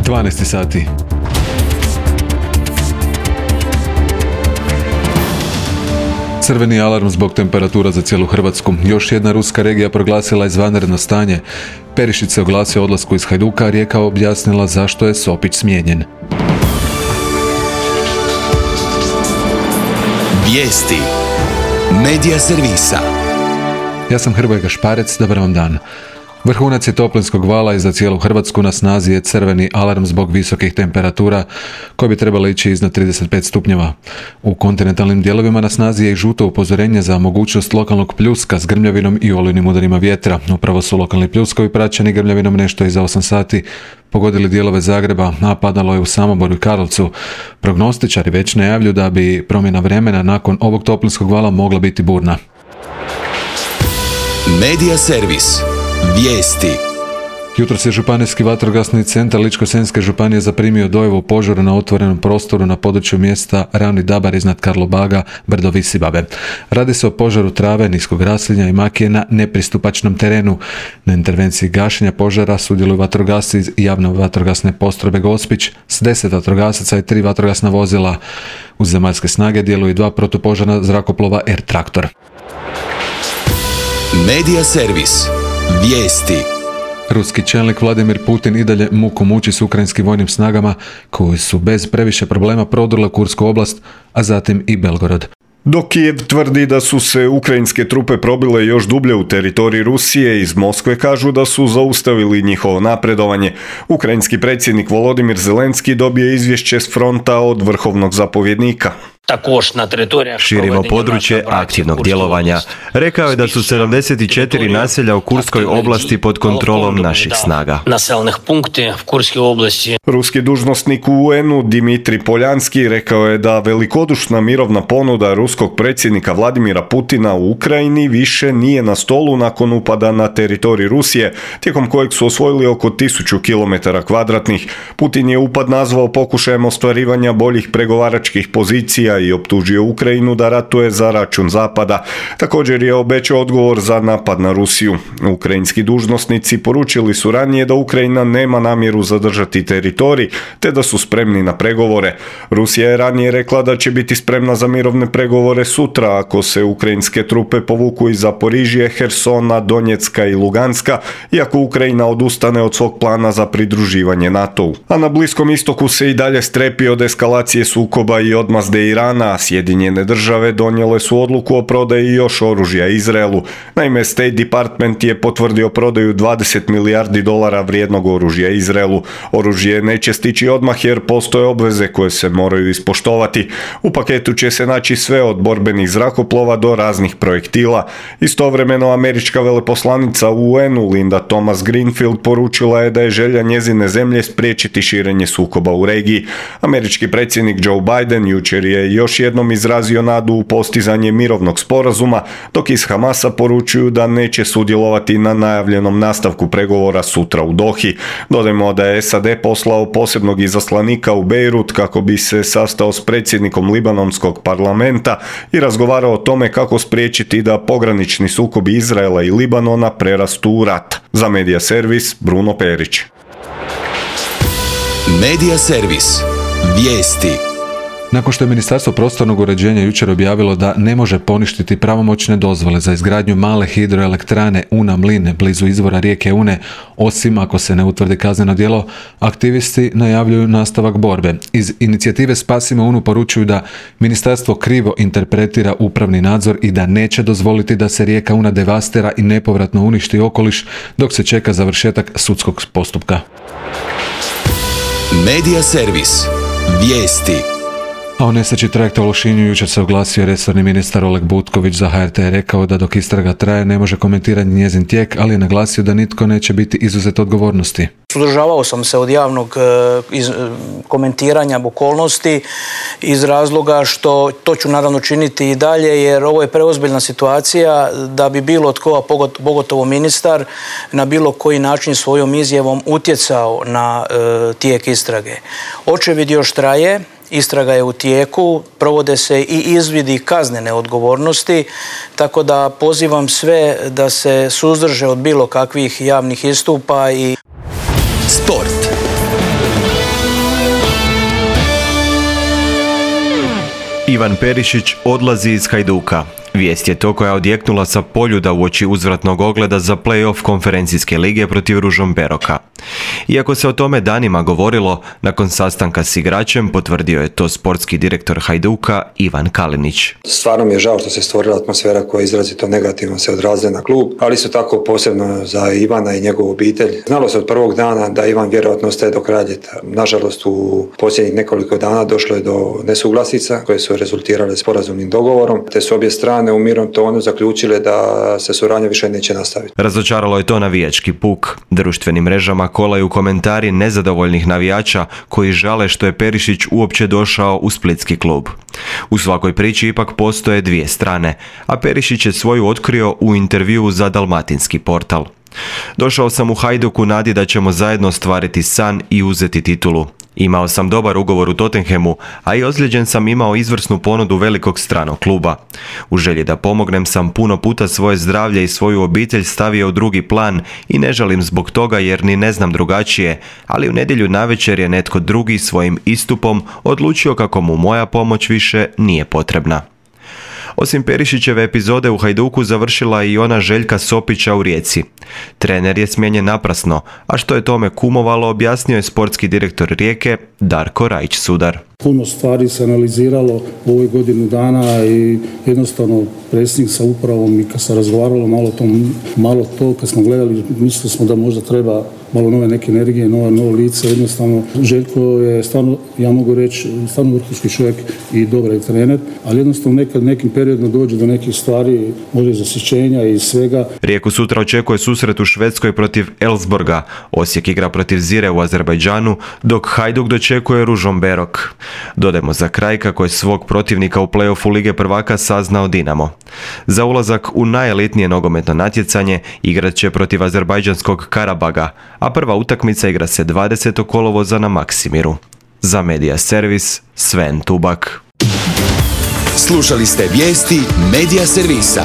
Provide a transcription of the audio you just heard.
12 sati. Crveni alarm zbog temperatura za cijelu Hrvatsku. Još jedna ruska regija proglasila izvanredno stanje. Perišić se oglasio o odlasku iz Hajduka, a Rijeka objasnila zašto je Sopić smijenjen. Vijesti Medija servisa. Ja sam Hrvoje Gašparec, dobar vam dan. Vrhunac je toplinskog vala i za cijelu Hrvatsku na snazi je crveni alarm zbog visokih temperatura koje bi trebalo ići iznad 35 stupnjeva. U kontinentalnim dijelovima na snazi je i žuto upozorenje za mogućnost lokalnog pljuska s grmljavinom i olujnim udarima vjetra. Upravo su lokalni pljuskovi praćeni grmljavinom nešto iza 8 sati pogodili dijelove Zagreba, a padalo je u Samoboru i Karlovcu. Prognostičari već najavljuju da bi promjena vremena nakon ovog toplinskog vala mogla biti burna. Medija servis. Vijesti. Jutros je Županijski vatrogasni centar Ličko-senjske županije zaprimio dojavu požara na otvorenom prostoru na području mjesta Ravni Dabar iznad Karlobaga, brdo Visibabe. Radi se o požaru trave, niskog raslinja i makije na nepristupačnom terenu. Na intervenciji gašenja požara sudjeluju vatrogasci iz javne vatrogasne postrojbe Gospić s 10 vatrogasaca i 3 vatrogasna vozila. Uz zemaljske snage djeluju 2 protupožarna zrakoplova R-traktor. Medija servis. Vijesti. Ruski čelnik Vladimir Putin i dalje muku muči s ukrajinskim vojnim snagama koji su bez previše problema prodrle Kursku oblast, a zatim i Belgorod. Dok Kijev tvrdi da su se ukrajinske trupe probile još dublje u teritorij Rusije, iz Moskve kažu da su zaustavili njihovo napredovanje. Ukrajinski predsjednik Volodimir Zelenski dobije izvješće s fronta od vrhovnog zapovjednika. Širimo područje aktivnog djelovanja. Rekao je da su 74 naselja u Kurskoj oblasti pod kontrolom naših snaga. Ruski dužnosnik u UN-u Dimitrij Poljanski rekao je da velikodušna mirovna ponuda ruskog predsjednika Vladimira Putina u Ukrajini više nije na stolu nakon upada na teritorij Rusije, tijekom kojeg su osvojili oko 1000 km2. Putin je upad nazvao pokušajem ostvarivanja boljih pregovaračkih pozicija i optužio Ukrajinu da ratuje za račun Zapada. Također je obećao odgovor za napad na Rusiju. Ukrajinski dužnosnici poručili su ranije da Ukrajina nema namjeru zadržati teritorij, te da su spremni na pregovore. Rusija je ranije rekla da će biti spremna za mirovne pregovore sutra ako se ukrajinske trupe povuku iz Zaporižje, Hersona, Donjecka i Luganska, iako Ukrajina odustane od svog plana za pridruživanje NATO-u. A na Bliskom istoku se i dalje strepi od eskalacije sukoba i odmazde Irana. Sjedinjene države donijele su odluku o prodaji još oružja Izraelu. Naime, State Department je potvrdio prodaju $20 milijardi vrijednog oružja Izraelu. Oružje neće stići odmah jer postoje obveze koje se moraju ispoštovati. U paketu će se naći sve od borbenih zrakoplova do raznih projektila. Istovremeno američka veleposlanica u UN-u Linda Thomas Greenfield poručila je da je želja njezine zemlje spriječiti širenje sukoba u regiji. Američki predsjednik Joe Biden jučer je još jednom izrazio nadu u postizanje mirovnog sporazuma, dok iz Hamasa poručuju da neće sudjelovati na najavljenom nastavku pregovora sutra u Dohi. Dodajmo da je SAD poslao posebnog izaslanika u Bejrut kako bi se sastao s predsjednikom libanonskog parlamenta i razgovarao o tome kako spriječiti da pogranični sukobi Izraela i Libanona prerastu u rat. Za Medija servis Bruno Perić. Medija servis. Vijesti. Nakon što je Ministarstvo prostornog uređenja jučer objavilo da ne može poništiti pravomoćne dozvole za izgradnju male hidroelektrane Una-Mline blizu izvora rijeke Une, osim ako se ne utvrdi kazneno djelo, aktivisti najavljuju nastavak borbe. Iz inicijative Spasimo Unu poručuju da ministarstvo krivo interpretira upravni nadzor i da neće dozvoliti da se rijeka Una devastira i nepovratno uništi okoliš dok se čeka završetak sudskog postupka. Medija servis. Vijesti. A o nesreći trajekta u Lošinju jučer se oglasio resorni ministar Oleg Butković. Za HRT je rekao da dok istraga traje ne može komentirati njezin tijek, ali je naglasio da nitko neće biti izuzet odgovornosti. Suzdržavao sam se od javnog komentiranja okolnosti iz razloga što to ću naravno činiti i dalje, jer ovo je preozbiljna situacija da bi bilo tko, a pogotovo ministar, na bilo koji način svojom izjavom utjecao na tijek istrage. Očevid još traje. Istraga je u tijeku, provode se i izvidi kaznene odgovornosti, tako da pozivam sve da se suzdrže od bilo kakvih javnih istupa i sport. Ivan Perišić odlazi iz Hajduka. Vijest je to koja je odjeknula sa Poljuda uoči uzvratnog ogleda za play-off konferencijske lige protiv Ružomberoka. Iako se o tome danima govorilo, nakon sastanka s igračem potvrdio je to sportski direktor Hajduka Ivan Kalinić. Stvarno mi je žao što se stvorila atmosfera koja je izrazito negativno se odrazila na klub, ali isto tako posebno za Ivana i njegovu obitelj. Znalo se od prvog dana da Ivan vjerojatno ostaje do kraja ljeta. Nažalost, u posljednjih nekoliko dana došlo je do nesuglasica koje su rezultirale sporazumnim dogovorom, te su obje strane u mirnom tonu zaključile da se suradnja više neće nastaviti. Razočaralo je to navijački puk. Društvenim mrežama kolaju komentari nezadovoljnih navijača koji žale što je Perišić uopće došao u splitski klub. U svakoj priči ipak postoje dvije strane, a Perišić je svoju otkrio u intervjuu za Dalmatinski portal. Došao sam u Hajduk u nadi da ćemo zajedno ostvariti san i uzeti titulu. Imao sam dobar ugovor u Tottenhamu, a i ozlijeđen sam imao izvrsnu ponudu velikog stranog kluba. U želji da pomognem sam puno puta svoje zdravlje i svoju obitelj stavio u drugi plan i ne žalim zbog toga jer ni ne znam drugačije, ali u nedjelju navečer je netko drugi svojim istupom odlučio kako mu moja pomoć više nije potrebna. Osim Perišićeve epizode u Hajduku završila i ona Željka Sopića u Rijeci. Trener je smijenjen naprasno, a što je tome kumovalo objasnio je sportski direktor Rijeke Darko Rajić-Sudar. Puno stvari se analiziralo u ovoj godinu dana i jednostavno predsjednik sa upravom i kad se razgovaralo malo to, kad smo gledali, mislili smo da možda treba malo nove neke energije, novo lice. Jednostavno, Željko je stvarno, ja mogu reći, stvarno vrhunski čovjek i dobar je trener, ali jednostavno nekad nekim periodima dođe do nekih stvari, može zasićenja i svega. Rijeku sutra očekuje susret u Švedskoj protiv Elfsborga, Osijek igra protiv Zire u Azerbajdžanu, dok Hajduk dočekuje Ružomberok. Dodajmo za kraj kako je svog protivnika u play-offu Lige prvaka saznao Dinamo. Za ulazak u najelitnije nogometno natjecanje igrat će protiv azerbajdžanskog Karabaga, a prva utakmica igra se 20. kolovoza na Maksimiru. Za Media Servis, Sven Tubak. Slušali ste vijesti Media Servisa.